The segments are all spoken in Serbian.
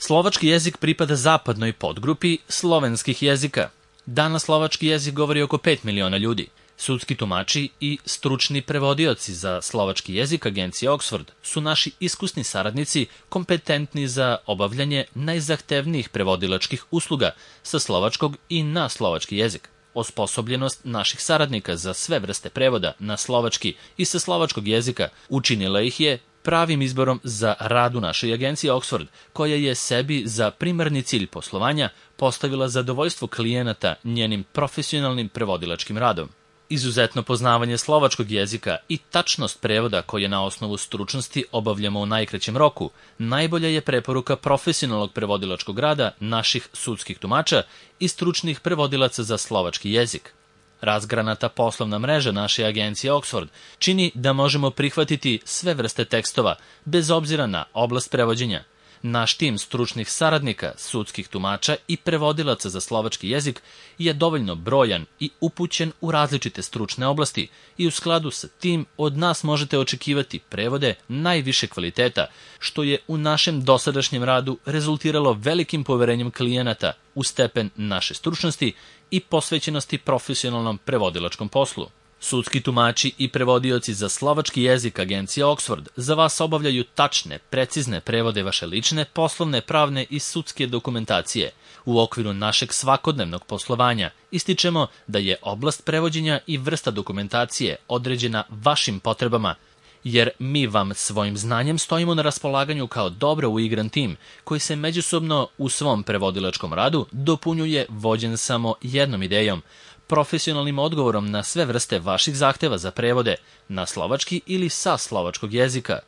Slovački jezik pripada zapadnoj podgrupi slovenskih jezika. Danas slovački jezik govori oko 5 miliona ljudi. Sudski tumači i stručni prevodioci za slovački jezik agencije Oxford su naši iskusni saradnici kompetentni za obavljanje najzahtevnijih prevodilačkih usluga sa slovačkog i na slovački jezik. Osposobljenost naših saradnika za sve vrste prevoda na slovački i sa slovačkog jezika učinila ih je pravim izborom za rad u našoj agenciji Oxford, koja je sebi za primarni cilj poslovanja postavila zadovoljstvo klijenata njenim profesionalnim prevodilačkim radom. Izuzetno poznavanje slovačkog jezika i tačnost prevoda koje na osnovu stručnosti obavljamo u najkraćem roku, najbolja je preporuka profesionalnog prevodilačkog rada naših sudskih tumača i stručnih prevodilaca za slovački jezik. Razgranata poslovna mreža naše agencije Oxford čini da možemo prihvatiti sve vrste tekstova, bez obzira na oblast prevođenja. Naš tim stručnih saradnika, sudskih tumača i prevodilaca za slovački jezik je dovoljno brojan i upućen u različite stručne oblasti i u skladu sa tim od nas možete očekivati prevode najviše kvaliteta, što je u našem dosadašnjem radu rezultiralo velikim poverenjem klijenata u stepen naše stručnosti i posvećenosti profesionalnom prevodilačkom poslu. Sudski tumači i prevodioci za slovački jezik agencije Oxford za vas obavljaju tačne, precizne prevode vaše lične, poslovne, pravne i sudske dokumentacije. U okviru našeg svakodnevnog poslovanja ističemo da je oblast prevođenja i vrsta dokumentacije određena vašim potrebama, jer mi vam svojim znanjem stojimo na raspolaganju kao dobro uigran tim, koji se međusobno u svom prevodilačkom radu dopunjuje vođen samo jednom idejom, profesionalnim odgovorom na sve vrste vaših zahteva za prevode na slovački ili sa slovačkog jezika.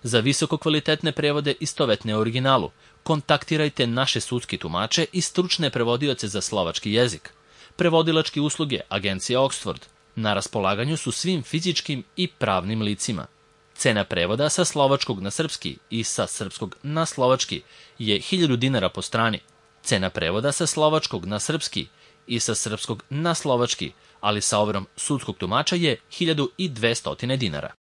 Za visoko kvalitetne prevode istovetne originalu, kontaktirajte naše sudski tumače i stručne prevodioce za slovački jezik. Prevodilačke usluge agencije Oxford na raspolaganju su svim fizičkim i pravnim licima. Cena prevoda sa slovačkog na srpski i sa srpskog na slovački je 1000 dinara po strani. Cena prevoda sa slovačkog na srpski i sa srpskog na slovački, ali sa overom sudskog tumača je 1200 dinara.